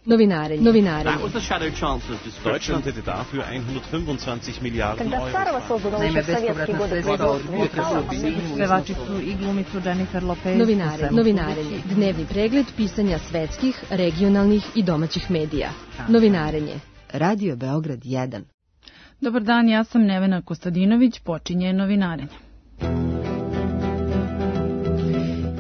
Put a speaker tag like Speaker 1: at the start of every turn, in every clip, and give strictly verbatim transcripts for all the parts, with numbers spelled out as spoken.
Speaker 1: Novinarenje. Novinarenje.
Speaker 2: Deutschland hätte dafür hundertfünfundzwanzig Milliarden Euro.
Speaker 3: Naime, bespovratna sredstva od Vuka Subinju.
Speaker 4: Pevačicu i glumicu Jennifer Lopez.
Speaker 1: Novinarenje. Novinarenje. Dnevni pregled pisanja svetskih, regionalnih i domaćih medija. Novinarenje.
Speaker 5: Radio Beograd jedan.
Speaker 4: Dobar dan, ja sam Nevena Kostadinović, počinje Novinarenje.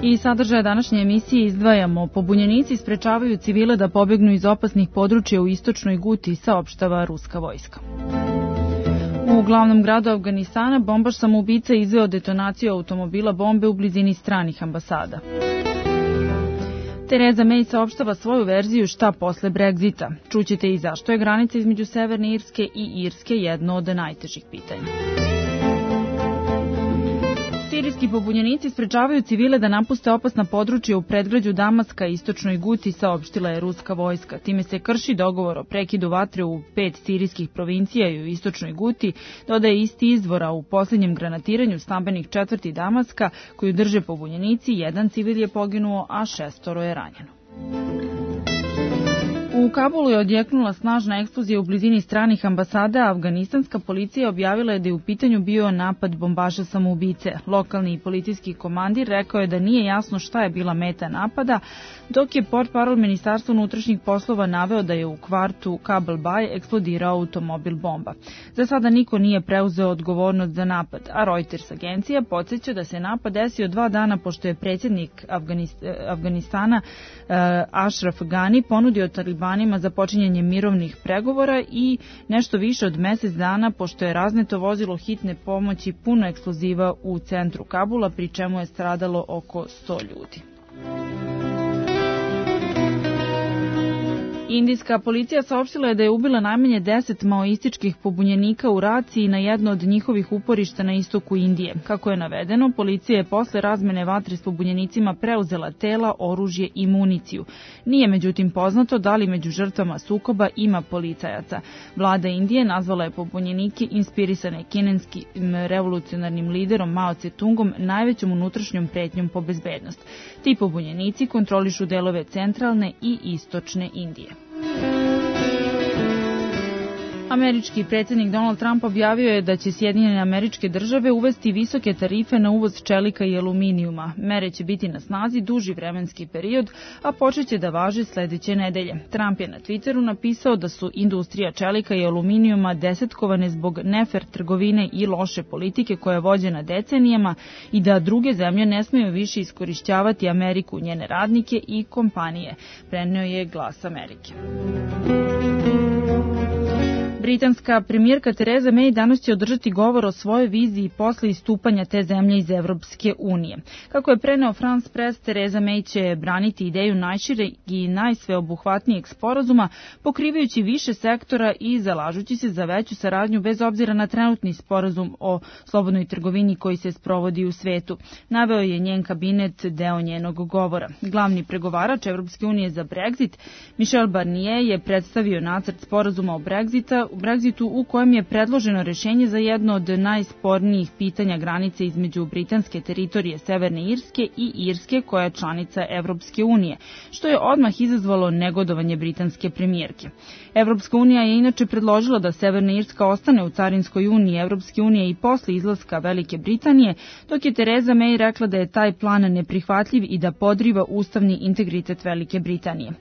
Speaker 4: I sadržaje današnje emisije izdvajamo. Pobunjenici sprečavaju civile da pobegnu iz opasnih područja u istočnoj Guti, saopštava ruska vojska. U glavnom gradu Afganistana bombaš samoubica izveo detonaciju automobila bombe u blizini stranih ambasada. Tereza May saopštava svoju verziju šta posle Brexita. Čućete i zašto je granica između Severne Irske i Irske jedno od najtežih pitanja. Sirijski pobunjenici sprečavaju civile da napuste opasna područja u predgrađu Damaska i istočnoj Guti, saopštila je ruska vojska. Time se krši dogovor o prekidu vatre u pet sirijskih provincija i u istočnoj Guti, dodaje isti izvora u posljednjem granatiranju stambenih četvrti Damaska, koju drže pobunjenici, jedan civil je poginuo, a šestoro je ranjeno. U Kabulu je odjeknula snažna eksplozija u blizini stranih ambasada, a afganistanska policija objavila je da je u pitanju bio napad bombaša samoubice. Lokalni policijski komandir rekao je da nije jasno šta je bila meta napada, dok je portparol Ministarstva unutrašnjih poslova naveo da je u kvartu Kabul Bay eksplodirao automobil bomba. Za sada niko nije preuzeo odgovornost za napad, a Reuters agencija podsjeća da se napad desio dva dana pošto je predsjednik Afganistana Ashraf Ghani ponudio Talibanima za počinjanje mirovnih pregovora i nešto više od mjesec dana pošto je razneto vozilo hitne pomoći puno eksploziva u centru Kabula, pri čemu je stradalo oko sto ljudi. Indijska policija saopštila je da je ubila najmanje deset maoističkih pobunjenika u raciji na jedno od njihovih uporišta na istoku Indije. Kako je navedeno, policija je posle razmene vatre s pobunjenicima preuzela tela, oružje i municiju. Nije međutim poznato da li među žrtvama sukoba ima policajaca. Vlada Indije nazvala je pobunjenike inspirisane kinenskim revolucionarnim liderom Mao Tse-tungom najvećom unutrašnjom pretnjom po bezbednost. Ti pobunjenici kontrolišu delove centralne i istočne Indije. Američki predsjednik Donald Trump objavio je da će Sjedinjene Američke Države uvesti visoke tarife na uvoz čelika i aluminijuma. Mere će biti na snazi duži vremenski period, a počeće da važe sljedeće nedelje. Trump je na Twitteru napisao da su industrija čelika i aluminijuma desetkovane zbog nefer trgovine i loše politike koja je vođena decenijama i da druge zemlje ne smiju više iskorišćavati Ameriku, njene radnike i kompanije, preneo je Glas Amerike. Britanska premijerka Tereza May danas će održati govor o svojoj viziji posle istupanja te zemlje iz Evropske unije. Kako je preneo France Press, Tereza May će braniti ideju najšireg i najsveobuhvatnijeg sporazuma, pokrivajući više sektora i zalažući se za veću saradnju bez obzira na trenutni sporazum o slobodnoj trgovini koji se sprovodi u svetu. Naveo je njen kabinet deo njenog govora. Glavni pregovarač Evropske unije za Brexit, Michel Barnier, je predstavio nacrt sporazuma o Brexita u Brexitu u kojem je predloženo rješenje za jedno od najspornijih pitanja granice između britanske teritorije Severne Irske i Irske koja je članica Evropske unije, što je odmah izazvalo negodovanje britanske premijerke. Evropska unija je inače predložila da Severna Irska ostane u carinskoj uniji Evropske unije i posle izlaska Velike Britanije, dok je Tereza May rekla da je taj plan neprihvatljiv i da podriva ustavni integritet Velike Britanije.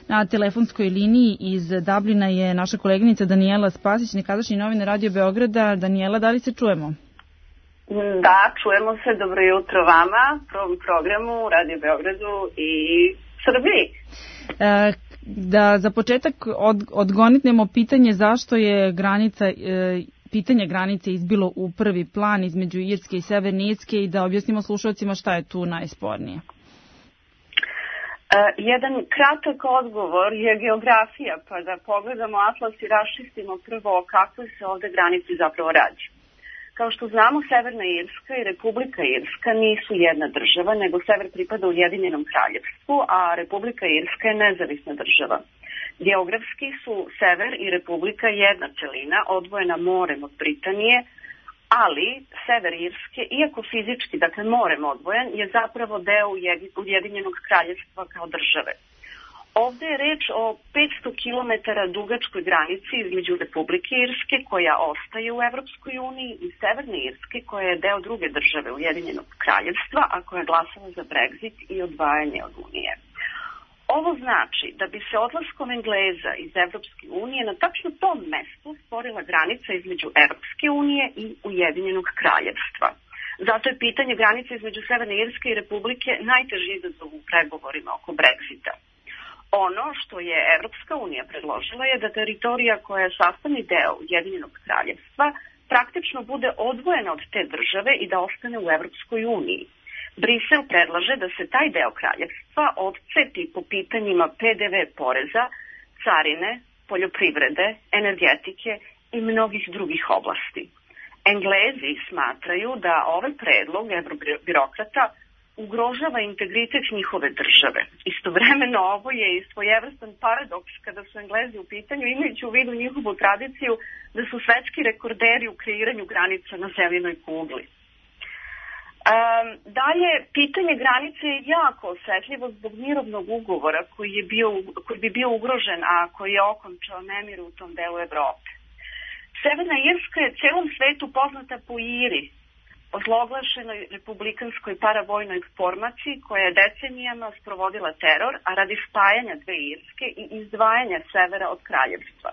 Speaker 4: Na telefonskoj liniji iz Dublina je naša koleginica Danijela Spasić, nekadašnji novinar Radio Beograda. Danijela, da li se čujemo?
Speaker 6: Da, čujemo se. Dobro jutro vama, prvom programu Radio Beogradu i Srbiji.
Speaker 4: E, da za početak od, odgonitnemo pitanje zašto je granica, e, pitanje granice izbilo u prvi plan između Irske i Severne Irske i da objasnimo slušalcima šta je tu najspornije.
Speaker 6: Uh, jedan kratak odgovor je geografija, pa da pogledamo atlas i raščistimo prvo o kakvoj se ovde granici zapravo radi. Kao što znamo, Severna Irska i Republika Irska nisu jedna država, nego sever pripada Ujedinjenom kraljevstvu, a Republika Irska je nezavisna država. Geografski su sever i Republika jedna celina, odvojena morem od Britanije, ali sever Irske, iako fizički, dakle morem odvojen, je zapravo deo Ujedinjenog kraljevstva kao države. Ovde je reč o petsto kilometara dugačkoj granici između Republike Irske, koja ostaje u Evropskoj uniji, i Severne Irske, koja je deo druge države Ujedinjenog kraljevstva, a koja je glasala za Brexit i odvajanje od Unije. Ovo znači da bi se odlaskom Engleza iz Evropske unije na tačno tom mestu stvorila granica između Evropske unije i Ujedinjenog kraljevstva. Zato je pitanje granice između Severne Irske i Republike najteži izazov u pregovorima oko Brexita. Ono što je Evropska unija predložila je da teritorija koja je sastavni deo Ujedinjenog kraljevstva praktično bude odvojena od te države i da ostane u Evropskoj uniji. Brisel predlaže da se taj deo kraljevstva odcepi po pitanjima pe de ve poreza, carine, poljoprivrede, energetike i mnogih drugih oblasti. Englezi smatraju da ovaj predlog evrobirokrata ugrožava integritet njihove države. Istovremeno ovo je i svojevrstan paradoks kada su Englezi u pitanju, imajući u vidu njihovu tradiciju da su svetski rekorderi u kreiranju granica na zemljinoj kugli. Um, dalje, pitanje granice je jako osetljivo zbog mirovnog ugovora koji, je bio, koji bi bio ugrožen, a koji je okončao nemir u tom delu Evrope. Severna Irska je celom svetu poznata po Iri, ozloglašenoj republikanskoj paravojnoj formaciji koja je decenijama sprovodila teror, a radi spajanja dve Irske i izdvajanja severa od kraljevstva.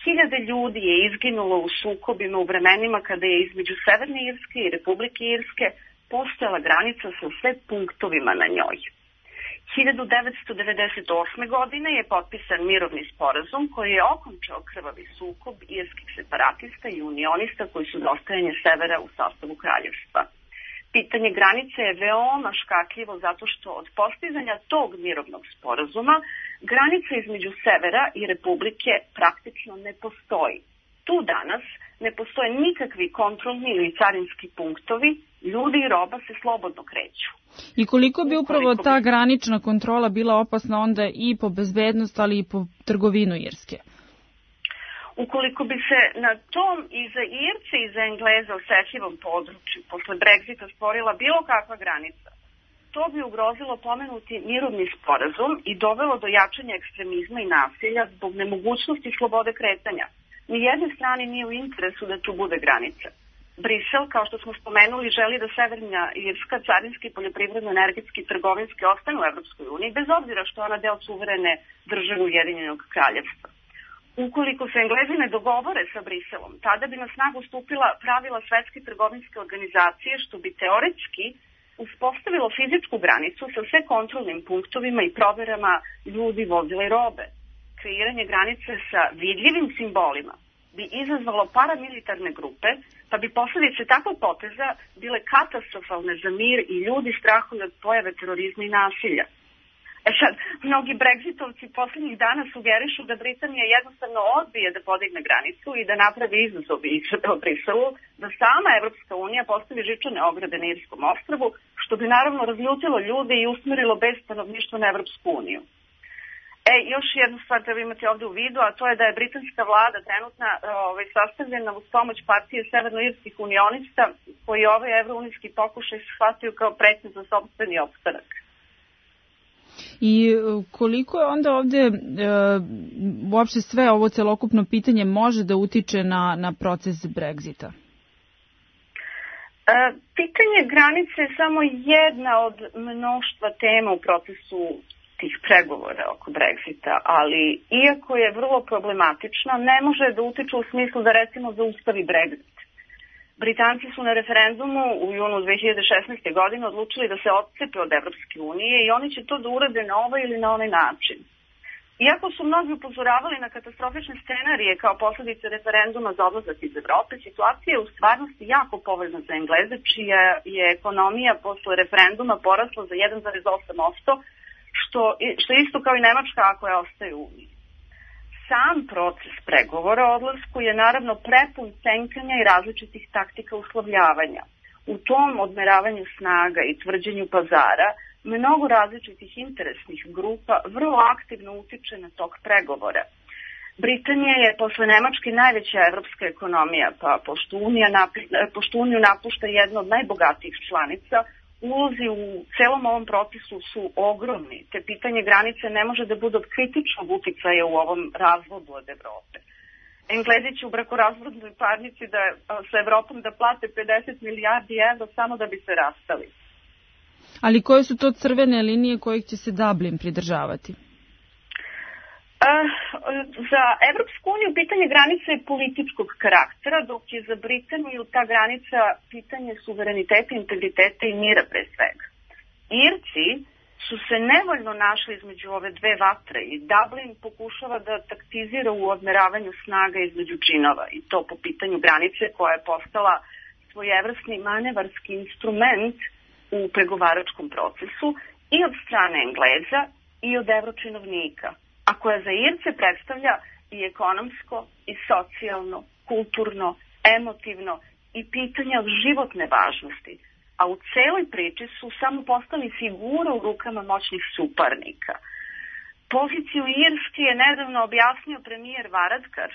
Speaker 6: Hiljade ljudi je izginulo u sukobima u vremenima kada je između Severne Irske i Republike Irske postojala granica sa sve punktovima na njoj. hiljadu devetsto devedeset osme. godine je potpisan mirovni sporazum koji je okončao krvavi sukob irskih separatista i unionista koji su za ostajanje severa u sastavu kraljevstva. Pitanje granice je veoma škakljivo zato što od postizanja tog mirovnog sporazuma granica između severa i Republike praktično ne postoji. Tu danas ne postoje nikakvi kontrolni ili carinski punktovi, ljudi i roba se slobodno kreću.
Speaker 4: I koliko bi upravo ta granična kontrola bila opasna onda i po bezbednost, ali i po trgovinu Irske?
Speaker 6: Ukoliko bi se na tom i za Irce i za Engleze osetljivom području posle Brexita stvorila bilo kakva granica, to bi ugrozilo pomenuti mirovni sporazum i dovelo do jačanja ekstremizma i nasilja zbog nemogućnosti slobode kretanja. Nijedne strane nije u interesu da tu bude granica. Brisel, kao što smo spomenuli, želi da Severna Irska carinski, poljoprivredno, energetski i trgovinski ostane u Evropskoj uniji, bez obzira što je ona deo suverene države Ujedinjenog kraljevstva. Ukoliko se Englezi ne dogovore sa Briselom, tada bi na snagu stupila pravila Svetske trgovinske organizacije, što bi teoretski uspostavilo fizičku granicu sa sve kontrolnim punktovima i proverama ljudi, vozila i robe. Kreiranje granice sa vidljivim simbolima bi izazvalo paramilitarne grupe, pa bi posljedice takvog poteza bile katastrofalne za mir i ljudi strahuju od pojave terorizma i nasilja. E sad, mnogi Brexitovci posljednjih dana sugerišu da Britanija jednostavno odbije da podigne granicu i da napravi izazov u Briselu, da sama Evropska unija postavi žičane ograde na Irskom ostrvu, što bi naravno razljutilo ljude i usmerilo bez stanovništva na Evropsku uniju. E, još jednu stvar treba imati ovde u vidu, a to je da je britanska vlada trenutna ovaj, sastavljena uz pomoć partije severnoirskih unionista koji ovaj evrounijski pokušaj shvataju kao pretnju za sopstveni opstanak.
Speaker 4: I koliko je onda ovde e, uopšte sve ovo celokupno pitanje može da utiče na, na proces Brexita?
Speaker 6: E, pitanje granice je samo jedna od mnoštva tema u procesu tih pregovora oko Brexita, ali iako je vrlo problematična, ne može da utiče u smislu da recimo zaustavi Brexit. Britanci su na referendumu u junu dve hiljade šesnaeste. godine odlučili da se odcepe od Evropske unije i oni će to da urade na ovaj ili na onaj način. Iako su mnogi upozoravali na katastrofične scenarije kao posledice referenduma za odlazak iz Evrope, situacija je u stvarnosti jako povoljna za Engleze, čija je ekonomija posle referenduma porasla za jedan zarez osam posto, što, što je isto kao i Nemačka ako je ostaje u Uniji. Sam proces pregovora o odlasku je naravno prepun cenkanja i različitih taktika uslovljavanja. U tom odmeravanju snaga i tvrđenju pazara mnogo različitih interesnih grupa vrlo aktivno utiče na tok pregovora. Britanija je posle Nemačke najveća evropska ekonomija, pa pošto, Unija napušta, pošto Uniju napušta jedna od najbogatijih članica, ulozi u celom ovom procesu su ogromni, te pitanje granice ne može da bude od kritičnog uticaja u ovom razvodu od Evrope. Englezi će u brakorazvodnoj parnici da, sa Evropom da plate pedeset milijardi evra samo da bi se rastali.
Speaker 4: Ali koje su to crvene linije kojih će se Dublin pridržavati?
Speaker 6: Za Evropsku uniju pitanje granice je političkog karaktera, dok je za Britaniju ta granica pitanje suvereniteta, integriteta i mira pre svega. Irci su se nevoljno našli između ove dve vatre i Dublin pokušava da taktizira u odmeravanju snaga između džinova i to po pitanju granice koja je postala svojevrsni manevarski instrument u pregovaračkom procesu i od strane Engleza i od evročinovnika, a koja za Irce predstavlja i ekonomsko, i socijalno, kulturno, emotivno i pitanja od životne važnosti, a u celoj priči su samo postali figura u rukama moćnih suparnika. Poziciju Irske je nedavno objasnio premijer Varadkar,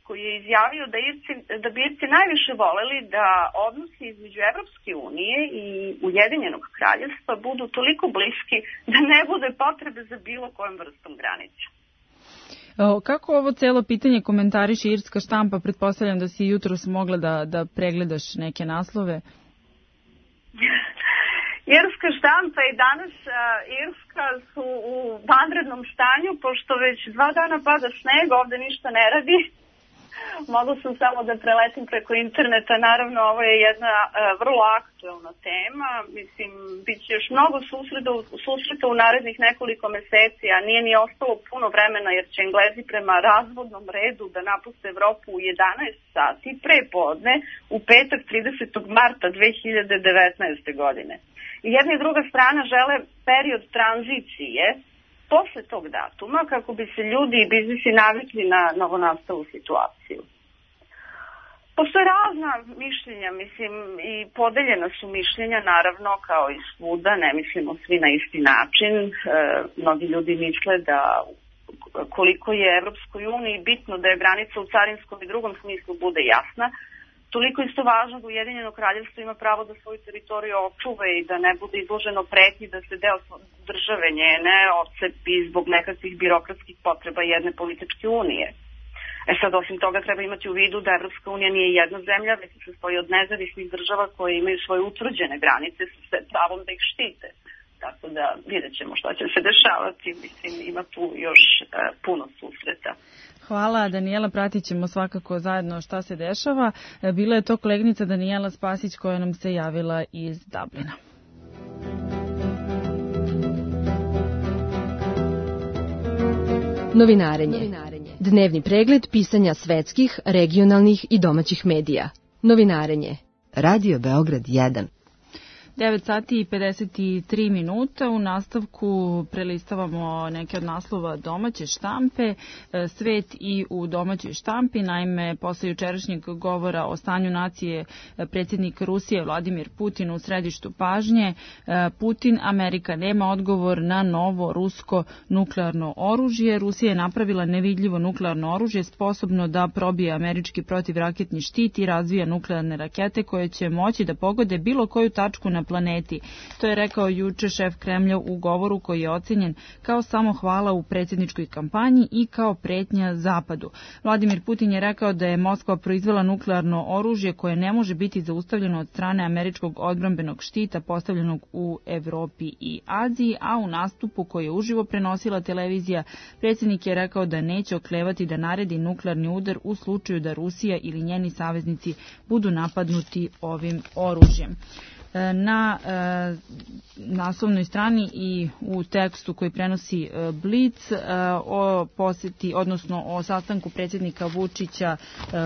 Speaker 6: koji je izjavio da, Irci, da bi Irci najviše voleli da odnosi između Evropske unije i Ujedinjenog kraljevstva budu toliko bliski da ne bude potrebe za bilo kojom vrstom granice.
Speaker 4: Kako ovo celo pitanje komentariše irska štampa? Pretpostavljam da si jutros mogla da, da pregledaš neke naslove.
Speaker 6: Irska štampa i danas uh, Irska su u vanrednom stanju, pošto već dva dana pada sneg, ovde ništa ne radi. Mogla sam samo da preletim preko interneta, naravno ovo je jedna uh, vrlo aktuelna tema, mislim, bit će još mnogo susreta, susreta u narednih nekoliko meseci, a nije ni ostalo puno vremena jer će Englezi prema razvodnom redu da napuste Evropu u jedanaest sati pre podne u petak tridesetog marta dve hiljade devetnaeste. godine. I jedna i druga strana žele period tranzicije posle tog datuma kako bi se ljudi i biznisi navikli na novonastalu situaciju. Postoje razna mišljenja, mislim, i podeljena su mišljenja, naravno, kao i svuda, ne mislimo svi na isti način. E, mnogi ljudi misle da koliko je Evropskoj uniji bitno da je granica u carinskom i drugom smislu bude jasna, toliko isto važno da Ujedinjeno kraljevstvo ima pravo da svoju teritoriju očuva i da ne bude izloženo pretnji da se deo države njene odcepi zbog nekakvih birokratskih potreba jedne političke unije. E sad, osim toga, treba imati u vidu da Evropska unija nije jedna zemlja, već se sastoji od nezavisnih država koje imaju svoje utvrđene granice sa pravom da ih štite. Tako da vidjet ćemo šta će se dešavati. Mislim, ima tu još uh, puno susreta.
Speaker 4: Hvala, Danijela, pratit ćemo svakako zajedno šta se dešava. Bila je to koleginica Danijela Spasić koja nam se javila iz Dublina.
Speaker 1: Novinarenje. Dnevni pregled pisanja svetskih, regionalnih i domaćih medija. Novinarenje.
Speaker 5: Radio Beograd jedan.
Speaker 4: devet sati i pedeset tri minuta. U nastavku prelistavamo neke od naslova domaće štampe, svet i u domaćoj štampi. Naime, posle jučerašnjeg govora o stanju nacije predsjednik Rusije Vladimir Putin u središtu pažnje. Putin, Amerika nema odgovor na novo rusko nuklearno oružje. Rusija je napravila nevidljivo nuklearno oružje sposobno da probije američki protivraketni štit i razvija nuklearne rakete koje će moći da pogode bilo koju tačku na planeti. To je rekao juče šef Kremlja u govoru koji je ocenjen kao samohvala u predsjedničkoj kampanji i kao pretnja Zapadu. Vladimir Putin je rekao da je Moskva proizvela nuklearno oružje koje ne može biti zaustavljeno od strane američkog odbrambenog štita postavljenog u Evropi i Aziji, a u nastupu koji je uživo prenosila televizija, predsjednik je rekao da neće oklevati da naredi nuklearni udar u slučaju da Rusija ili njeni saveznici budu napadnuti ovim oružjem. Na e, naslovnoj strani i u tekstu koji prenosi e, Blic e, o posjeti, odnosno o sastanku predsjednika Vučića e,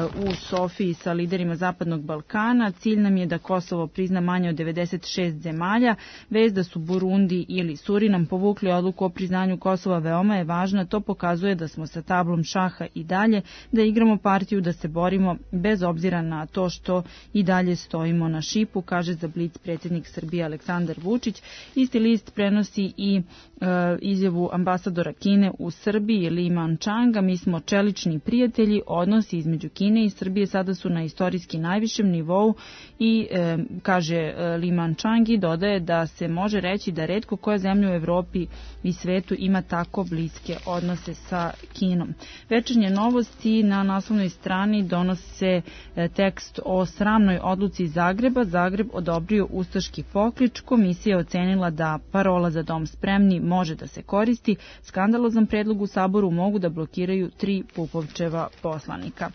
Speaker 4: u Sofiji sa liderima Zapadnog Balkana. Cilj nam je da Kosovo prizna manje od devedeset šest zemalja. Vez da su Burundi ili Surinam povukli odluku o priznanju Kosova veoma je važna. To pokazuje da smo sa tablom šaha i dalje, da igramo partiju, da se borimo bez obzira na to što i dalje stojimo na šipu, kaže za Blic predsjednik Srbije Aleksandar Vučić. Isti list prenosi i e, izjavu ambasadora Kine u Srbiji Li Manchanga. Mi smo čelični prijatelji, odnosi između Kine i Srbije sada su na istorijski najvišem nivou i e, kaže Li Manchang i dodaje da se može reći da retko koja zemlja u Evropi i svetu ima tako bliske odnose sa Kinom. Večernje novosti na naslovnoj strani donose e, tekst o sramnoj odluci Zagreba. Zagreb odobrio ustaški poklič. Komisija je ocenila da parola za dom spremni može da se koristi. Skandalozan predlog u Saboru mogu da blokiraju tri Pupovčeva poslanika.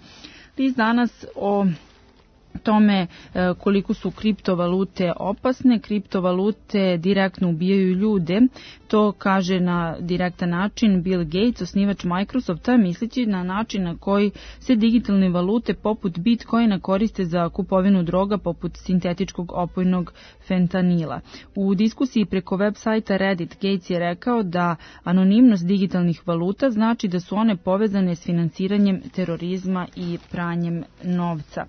Speaker 4: List danas o tome koliko su kriptovalute opasne. Kriptovalute direktno ubijaju ljude. To kaže na direktan način Bill Gates, osnivač Microsofta, misleći na način na koji se digitalne valute poput Bitcoina koriste za kupovinu droga poput sintetičkog opojnog fentanila. U diskusiji preko web sajta Reddit Gates je rekao da anonimnost digitalnih valuta znači da su one povezane s finansiranjem terorizma i pranjem novca.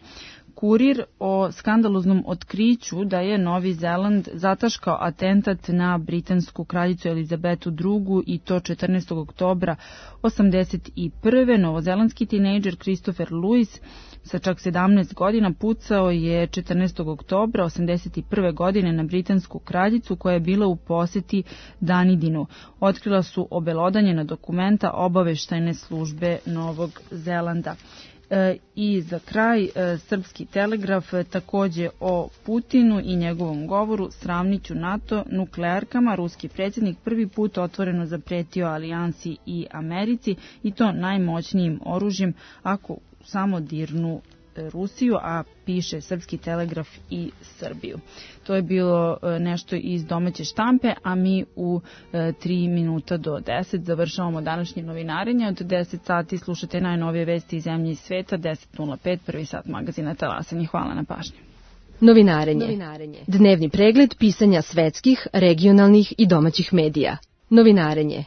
Speaker 4: Kurir o skandaloznom otkriću da je Novi Zeland zataškao atentat na britansku kraljicu Elizabetu drugu. i to četrnaestog oktobra osamdeset prve. Novozelandski tinejdžer Christopher Lewis sa čak sedamnaest godina pucao je četrnaestog oktobra osamdeset prve. godine na britansku kraljicu koja je bila u poseti Danidinu. Otkrila su obelodanjena dokumenta obaveštajne službe Novog Zelanda. E, I za kraj, e, Srpski telegraf e, takođe o Putinu i njegovom govoru sravniću NATO nuklearkama. Ruski predsjednik prvi put otvoreno zapretio alijansi i Americi i to najmoćnijim oružjem ako samo dirnu Rusiju, a piše Srpski telegraf i Srbiju. To je bilo nešto iz domaće štampe, a mi u tri minuta do deset završavamo današnje novinarenje. Od deset sati slušate najnovije vesti iz zemlje i sveta, deset nula pet, prvi sat magazina Talasanje. Hvala na pažnju.
Speaker 1: Novinarenje. Novinarenje. Dnevni pregled pisanja svetskih, regionalnih i domaćih medija. Novinarenje.